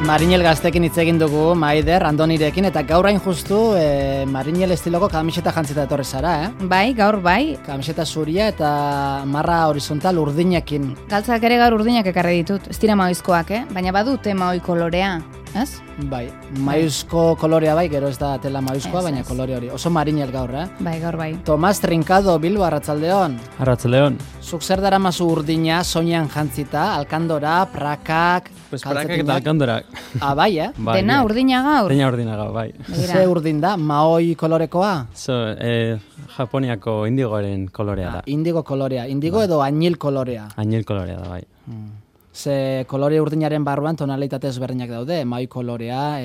Marinel gaztekin hitz egin dugu, Maider, Andonirekin, eta gaur hain justu Marinel estiloko kamiseta jantzita etorri zara, Bai, gaur bai. Kamiseta zuria eta marra horizontal urdinekin. Galtzak ere gaur urdinak ekarri ditut, ez dira maoizkoak, baina badute maoi kolorea, ez? Bai, maoizko kolorea bai, gero ez da tela maoizkoa, baina kolore hori. Oso Marinel gaur, Bai, gaur bai. Tomas Trincado, Bilbo, Arratsaldeon. Arratsaldeon. Zuk zer daramazu urdina, soinean jantzita, alkandora, prakak, pues prakak eta alkandorak. Bai, Bai, dena urdina gaur? Dena urdina gaur, bai. Ze urdin da, maoi kolorekoa? Japoniako indigoaren kolorea da. Indigo kolorea, indigo edo añil kolorea? Añil kolorea da, bai. Ze kolore urdinaren barruan tonalitate ezberdinak daude, mai kolorea,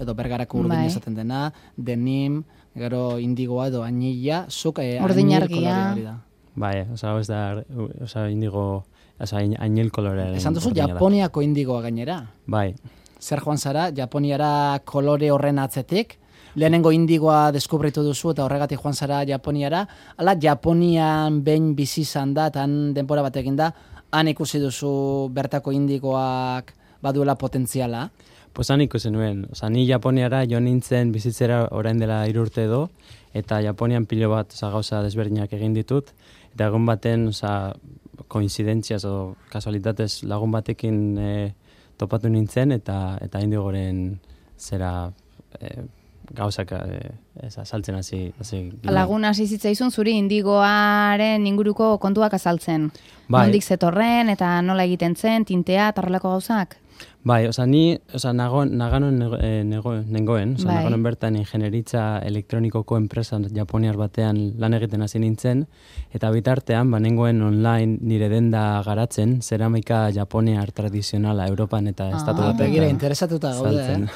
edo bergarako urdina esaten dena, denim, gero indigoa edo añila, zuk urdin argia. Bai, ez da indigo, añil kolorea. Esan duzu Japoniako indigoa gainera? Bai. Zer joan zara, Japoniara kolore horren atzetik? Lehenengo indigoa deskubritu duzu eta horregatik joan zara Japoniara? Ala, Japonian behin bizi izan da, eta denbora batekin da, han ikusi duzu bertako indigoak baduela potentziala? Pues han ikusi nuen. Ni Japoniara jo nintzen bizitzera orain dela 3 urte edo, eta Japonian pilo bat gauza desberdinak egin ditut, eta egun baten koinzidentziaz o kasualitatez lagun batekin topatu nintzen, eta indigoren zera gauzak azaltzen hasi. Lagun hasi zitzaizun zuri indigoaren inguruko kontuak azaltzen. Bai. Nondik zetorren eta nola egiten zen, tintea, tarrelako gauzak? Bai, naganon nengoen, naganon bertan ingenieritza elektronikoko enpresa japoniar batean lan egiten hasi nintzen, eta bitartean nengoen online nire denda garatzen, zeramika japoniar tradizionala Europan eta estatu batean. Begira, interesatuta gaude,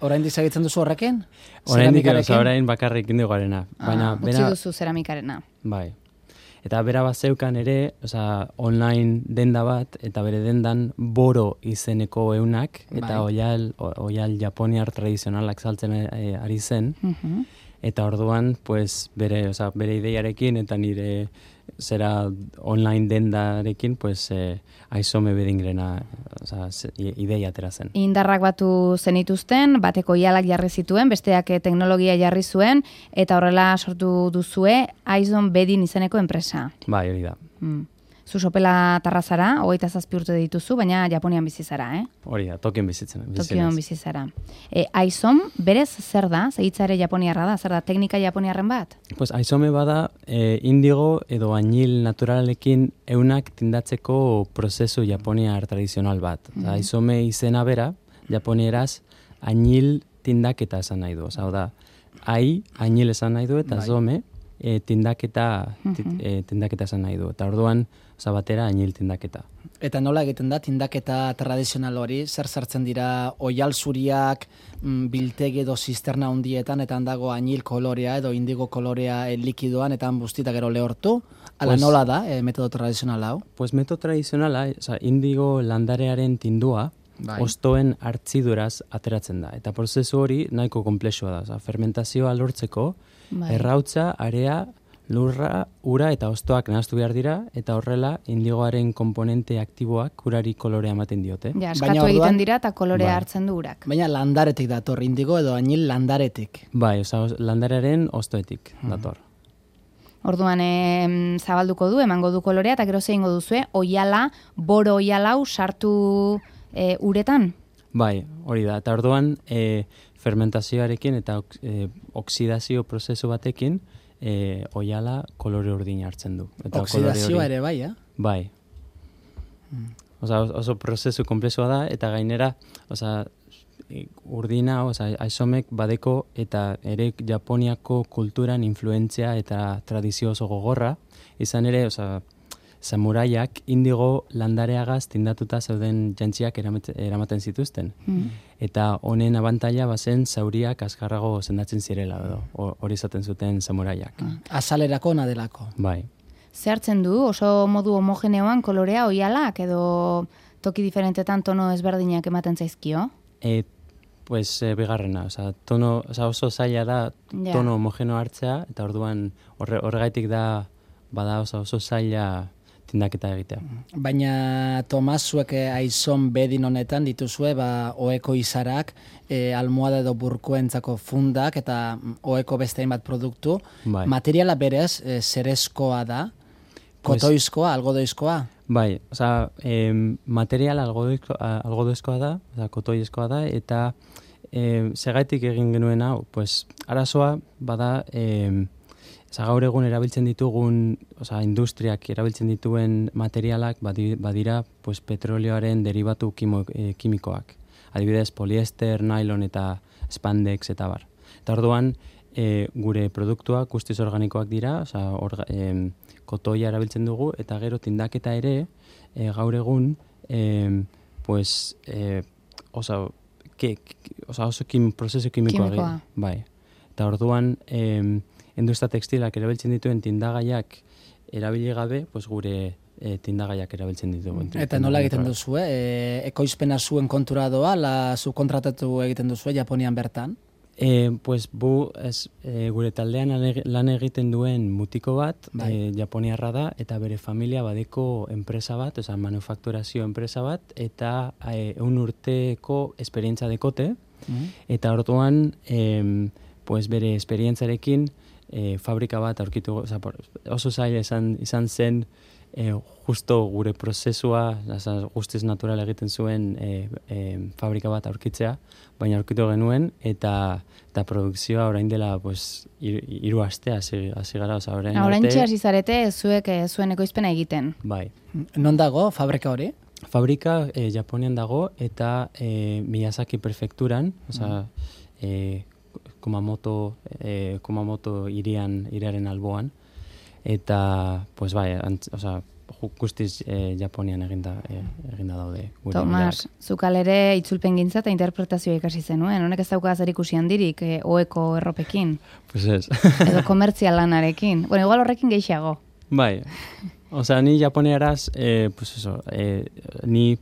Orain dizagitzen duzu horrekin? Orain bakarrik indigoarena. Utsi duzu zeramikarena. Bai. Eta bera bat zeukan ere, online denda bat, eta bere dendan boro izeneko eunak, eta oial japoniar tradizionalak saltzen ari zen, eta orduan, pues, bere ideiarekin, eta nire zera online dendarekin, pues, aizome bedingrena ideia atera zen. Indarrak batu zenituzten, bateko oialak jarri zituen, besteak teknologia jarri zuen, eta horrela sortu duzue Aizon Bedin izeneko enpresa. Bai, hori da. Zu Sopela Tarrazara, 27 urte dituzu, baina Japonian bizi zara, Hori da, Tokion bizi zara. Aizon, berez zer da? Hitzare japoniarra da? Zer da, teknika japoniarren bat? Pues Aizome bada indigo edo añil naturalekin eunak tindatzeko prozesu japoniar tradizional bat. Aizome izena bera, japonieraz, añil tindaketa esan nahi du. Da, añil esan nahi du, eta zome, tindaketa esan nahi du. Eta orduan, batera añil tindaketa. Eta nola egiten da tindaketa tradizional hori? Zer sartzen dira oial zuriak biltegi edo zisterna hundietan, eta handago añil kolorea edo indigo kolorea likidoan, eta bustita gero lehortu? Ala nola da metodo tradizional hau? Pues metodo tradizionala, indigo landarearen tindua, ostoen hartziduraz ateratzen da. Eta prozesu hori nahiko komplexua da. Fermentazioa lortzeko, errautza, area, lurra, ura eta ostoak nahastu behar dira, eta horrela indigoaren komponente aktiboak urari kolorea ematen diote. Eskatu egiten dira eta kolorea hartzen du urak. Baina landaretik dator, indigo edo añil landaretik. Bai, landarearen ostoetik dator. Orduan zabalduko du, emango du kolorea, eta gero zeingo duzue, boro oialau sartu uretan? Bai, hori da. Eta orduan fermentazioarekin eta oksidazio prozesu batekin oiala kolore urdina hartzen du. Oksidazioa ere bai, Bai. Oso prozesu komplexua da, eta gainera, urdina, aizomek badeko eta ere Japoniako kulturan influentzia eta tradizio oso gogorra, izan ere, samuraiak indigo landareagaz tindatuta zeuden jantziak eramaten zituzten. Eta honen abantaila bazen zauriak azkarrago sendatzen zirela, hori izaten zuten samuraiak. Azalerako nadelako. Bai. Zehartzen du, oso modu homogeneoan kolorea oialak edo toki diferentetan tono ezberdinak ematen zaizkio? Pues bigarrena, oso zaila da tono homogeno hartzea, eta orduan horregaitik da bada oso zaila tindaketa egitea. Baina, Tomas, zuek aizon bedin honetan dituzue, oeko izarak, almohada edo burkoentzako fundak eta oeko beste hainbat produktu. Bai. Materiala berez, zerezkoa da, kotoizkoa, algodoizkoa? Bai, oza, material algodoizkoa da, kotoizkoa da, eta segaitik egin genuen hau, pues, arazoa bada, gaur egun erabiltzen ditugun, industriak erabiltzen dituen materialak badira pues, petrolioaren derivatu kimikoak. Adibidez, poliester, nylon eta spandex eta bar. Eta orduan, gure produktuak guztiz organikoak dira, kotoia erabiltzen dugu, eta gero tindaketa ere, gaur egun, pues, oso prozesu kimikoa. Bai. Eta orduan, industria tekstilak erabiltzen dituen tindagaiak erabili gabe, pues gure tindagaiak erabiltzen ditugu. Eta nola egiten duzu, ekoizpena zuen kontura doa, zu kontratatu egiten duzu, Japonian bertan? Pues gure taldean lan egiten duen mutiko bat, japoniarra da, eta bere familia badeko enpresa bat, manufakturazio enpresa bat, eta 1 urteko esperientza dekote, eta orduan, pues bere esperientzarekin, fabrika bat aurkitu, oso zaila izan zen justo gure prozesua, guztiz natural egiten zuen fabrika bat aurkitzea, baina aurkitu genuen, eta produkzioa orain dela 3 aste hasi gara. Oraintxe hasi zarete zuek zuen ekoizpena egiten. Bai. Non dago fabrika hori? Fabrika Japonian dago, eta Miyazaki prefekturan, Kumamoto iriaren alboan, eta, pues bai, guztiz Japonian eginda daude. Tomas, zukalere itzulpen gintza eta interpretazioa ikasi zenuen, honek ez dauka zer ikusi handirik oeko erropekin? Pues ez. Edo komertzial lanarekin. Bueno, igual horrekin gehiago. Bai, ni japoniaraz, ni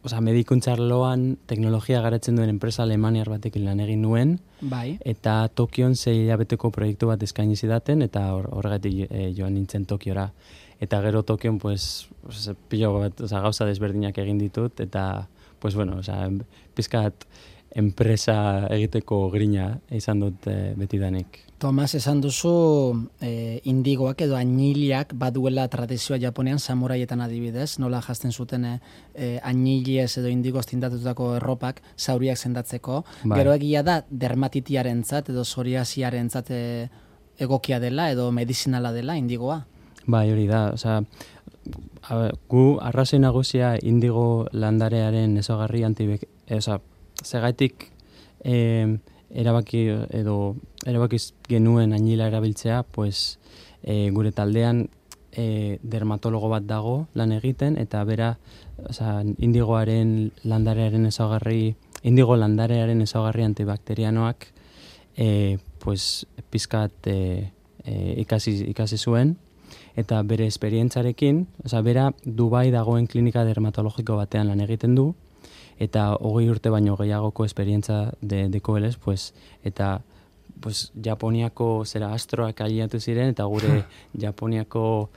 medikuntza arloan teknologia garatzen duen enpresa alemaniar batekin lan egin nuen, bai. Eta Tokion 6 hilabeteko proiektu bat eskaini zidaten, eta horregatik joan nintzen Tokiora. Eta gero Tokion, pilo bat, gauza desberdinak egin ditut, eta, pizkat enpresa egiteko grina izan dut betidanik. Tomas, esan duzu indigoak edo añiliak baduela tradizioa Japonian, samuraietan adibidez, nola jazten zuten añiliez edo indigoz tindatutako erropak zauriak sendatzeko. Bai. Gero egia da dermatitiarentzat edo psoriasiarentzat egokia dela edo medizinala dela indigoa? Bai, hori da. Gu arrazoi nagusia indigo landarearen ezaugarri segaitik erabakiz genuen añila erabiltzea, gure taldean dermatologo bat dago lan egiten, eta bera indigo landarearen ezaugarri antibakterianoak pizkat ikasi zuen, eta bere esperientzarekin, bera Dubai dagoen klinika dermatologiko batean lan egiten du, eta 20 urte baino gehiagoko esperientza dekoelez, eta Japoniako astroak aliatu ziren, eta gure Japoniako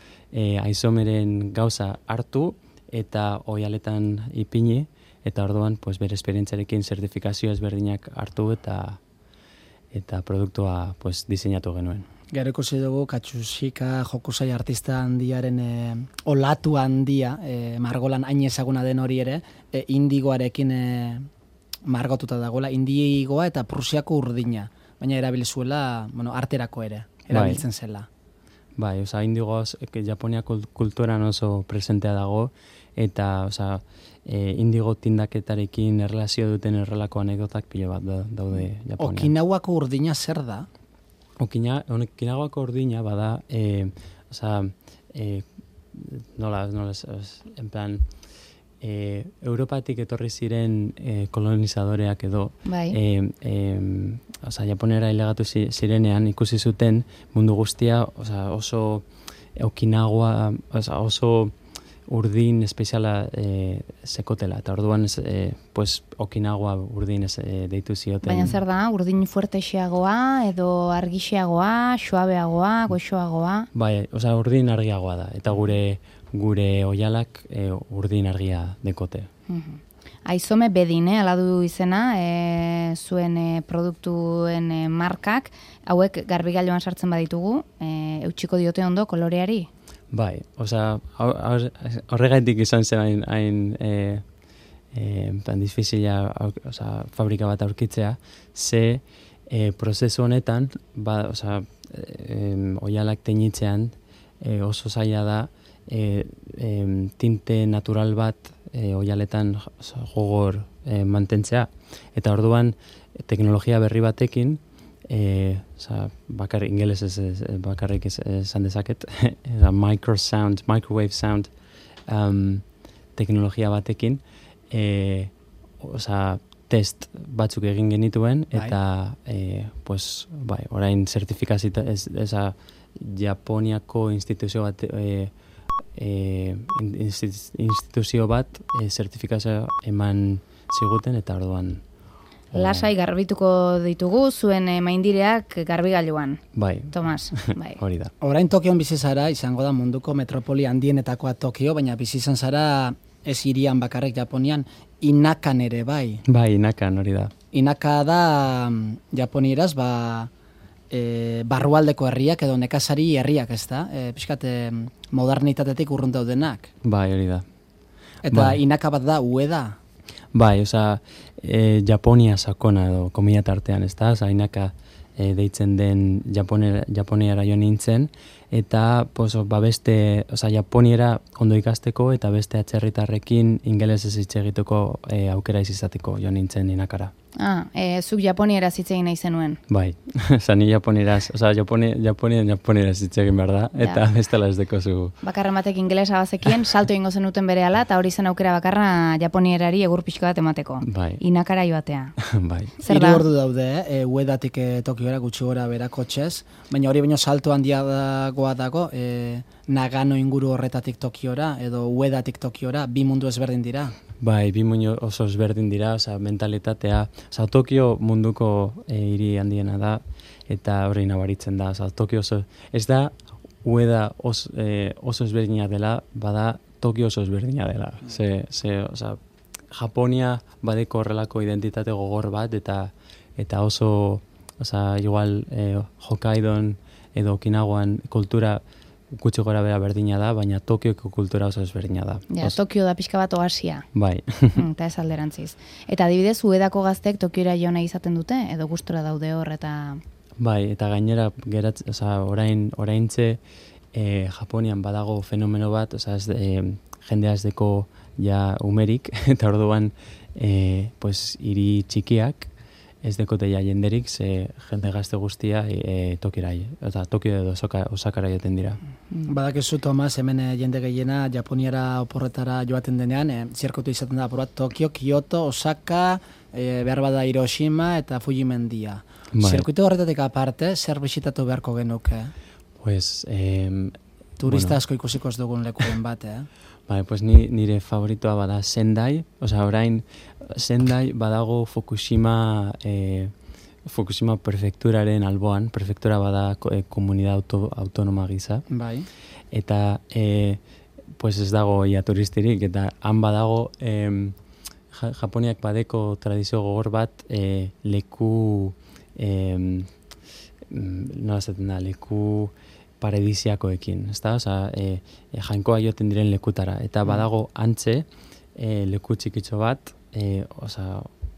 aizomeren gauza hartu, eta oialetan ipini, eta orduan bere esperientzarekin zertifikazio ezberdinak hartu, eta produktua diseinatu genuen. Gero ikusi dugu Katsushika Hokusai artista handiaren olatu handia, margolan hain ezaguna den hori ere, indigoarekin margotuta dagoela, indigoa eta prusiako urdina, baina erabilizuela, arterako ere, erabiltzen zela. Bai, indigoaz Japoniako kulturan oso presentea dago, eta indigo tindaketarekin erlazio duten errelako anekdotak pilo bat daude Japonian. Okinawako urdina zer da? Okinawako urdina bada, en plan, Europatik etorri ziren kolonizadoreak edo, Japonera ilegatu zirenean ikusi zuten mundu guztia, oso Okinawa, oso urdin espeziala sekotela, eta orduan pues, Okinawa urdin deitu zioten. Baina zer da, urdin fuertexeagoa, edo argixeagoa, suabeagoa, goxoagoa? Bai, osea, urdin argiagoa da, eta gure oialak urdin argia dekote. Aizome bedin, ala du izena, zuen produktuen markak, hauek garbigailuan sartzen baditugu, eutxiko diote ondo koloreari? Bai, osea, horregaitik izan zen hain difizila fabrika bat aurkitzea, ze prozesu honetan, oialak teñitzean oso zaila da tinte natural bat oialetan gogor mantentzea. Eta orduan teknologia berri batekin, bakarrik esan dezaket, microwave sound teknologia batekin, test batzuk egin genituen, eta orain zertifikazita, Japoniako instituzio bat, zertifikazioa eman ziguten, eta orduan lasai garbituko ditugu zuen maindireak garbigailuan. Bai. Tomas, bai. Hori da. Orain Tokion bizi zara, izango da munduko metropoli handienetakoa Tokio, baina bizi izan zara ez hirian bakarrik Japonian, Inakan ere bai. Bai, Inakan hori da. Inaka da japonieraz, barrualdeko herriak edo nekazari herriak, ez da? Piskat modernitatetik urrun daudenak. Bai, hori da. Eta Inaka bat da, Ueda? Bai, Japonia sakona edo komila tartean, ez da? Inaka deitzen den Japoniara jo nintzen, eta beste, Japoniera ondo ikasteko eta beste atzerritarrekin ingelesez hitz egiteko aukera izateko jo nintzen Inakara. Zuk Japoniera hitz egin nahi zenuen? Bai, ni Japonieraz, Japonieraz hitz egin behar da, eta bestela ez deko zu. Bakarren batek ingelesa bazekien, salto ingo zenuten berehala, eta hori zen aukera bakarra Japonierari egur pixka bat emateko. Bai. Inakara joatea. Bai. Zer da? 3 ordu daude, Uedatik Tokiora gutxi gora bera kotxez, baina hori baino salto handiagoa dago, Nagano inguru horretatik Tokiora, edo Uedatik Tokiora, 2 mundu ezberdin dira. Bai, 2 mundu oso ezberdin dira, mentalitatea. Tokio munduko hiri handiena da, eta hori nabaritzen da. Tokio ez da, Ueda oso ezberdina dela, bada Tokio oso ezberdina dela. Japonia badeko horrelako identitate gogor bat, eta oso, igual Hokkaidon edo Okinawan kultura gutxi gora bera berdina da, baina Tokioko kultura oso ezberdina da. Tokio da pixka bat oasia. Bai. Eta ez alderantziz. Eta adibidez, Uedako gaztek Tokiora jo nahi izaten dute, edo gustura daude hor, eta... Bai, eta gainera, oraintze Japonian badago fenomeno bat, jendea ez deko ja umerik, eta orduan hiri txikiak, ez dekote ja jenderik, ze jende gazte guztia Tokiora, eta Tokio edo Osakara joten dira. Badakizu, Tomas, hemen jende gehiena Japoniara oporretara joaten denean, zirkuitu izaten da, Tokio, Kyoto, Osaka, behar bada Hiroshima eta Fujimendia. Zirkuitu horretatik aparte, zer bisitatu beharko genuke? Turista asko ikusiko ez dugun lekuren bat, Bai, nire favoritoa bada Sendai, orain Sendai badago Fukushima prefekturaren alboan, prefektura bada komunidad autonoma gisa. Bai. Eta ez dago ia turistirik, eta han badago Japoniak badeko tradizio gogor bat leku leku paradisiakoekin, ezta? Jainkoa joten diren lekutara, eta badago antze leku txikitxo bat,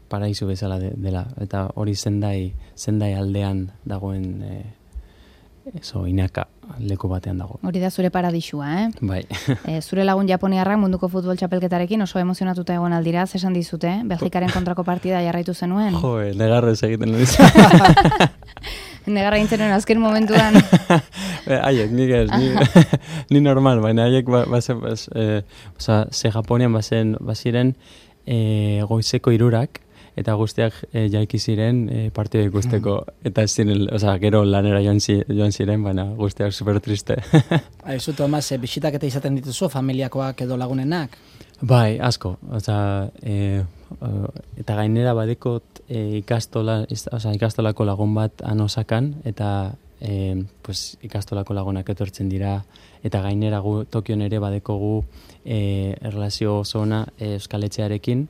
paraisu bezala dela, eta hori Sendai aldean dagoen Inaka leku batean dago. Hori da zure paradisua, Bai. Zure lagun japoniarrak munduko futbol txapelketarekin oso emozionatuta egon aldira, zesan dizute, Belgikaren kontrako partida jarraitu zenuen? Negarro ez egiten dut. Negarra gintzen azken momentuan. Haiek, ni normal, baina haiek ze Japonian baziren goizeko 3:00, eta guztiak jaiki ziren partida ikusteko, eta ez ziren, gero lanera joan ziren, baina guztiak super triste. Aizu, Tomas, bisitak eta izaten dituzu, familiakoak edo lagunenak? Bai, asko, eta gainera badekot ikastolako lagun bat anosakan, eta ikastolako lagunak etortzen dira, eta gainera gu Tokion ere badekogu erlazio oso ona Euskaletxearekin,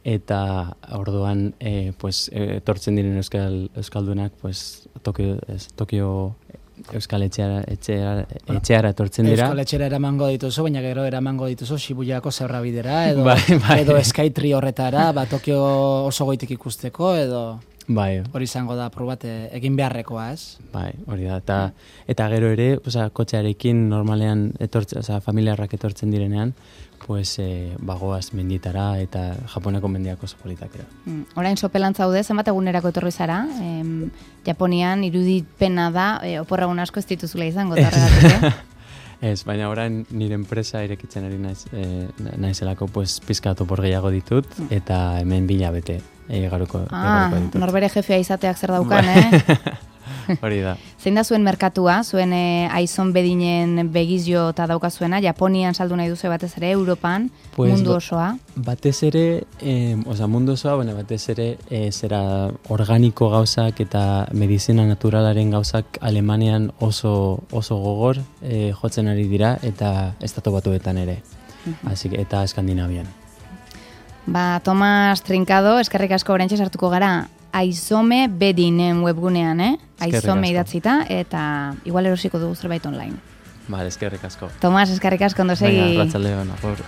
eta orduan etortzen diren euskaldunak Tokio Euskaletxeara etortzen dira. Euskaletxera eramango dituzu, baina gero eramango dituzu Shibuyako Zebrabidera, edo Skytree horretara, Tokio oso goitik ikusteko, edo... Bai. Hori izango da probat egin beharrekoa, ez? Bai, hori da. Eta gero ere, kotxearekin normalean familiarrak etortzen direnean, bagoaz menditara eta Japoneko mendiak oso politak ere. Orain sopelan zaude, zenbat egunerako etorri zara? Japonian irudipena da, oporragun asko ez dituzula izango, eta horregatik, Ez, baina orain nire enpresa irekitzen ari naizelako pizkatu por gehiago ditut, eta hemen 2 hilabete garuko ditut. Norbere jefea izateak zer daukan, Hori da. Zein da zuen merkatua, zuen aizon bedinen begizio eta daukazuena, Japonian saldu nahi duzu batez ere, Europan, mundu osoa? Batez ere, mundu osoa, baina batez ere zera organiko gauzak eta medizina naturalaren gauzak Alemanian oso gogor jotzen ari dira, eta Estatu Batuetan ere, eta Eskandinavian. Tomas Trincado, eskerrik asko oraintxe sartuko gara, Aizome bedinen webgunean, Aizome idatzita, eta igual erosiko dugu zerbait online. Eskerrik asko. Tomas, eskerrik asko, ondo segi. Arratsaldeon, agur.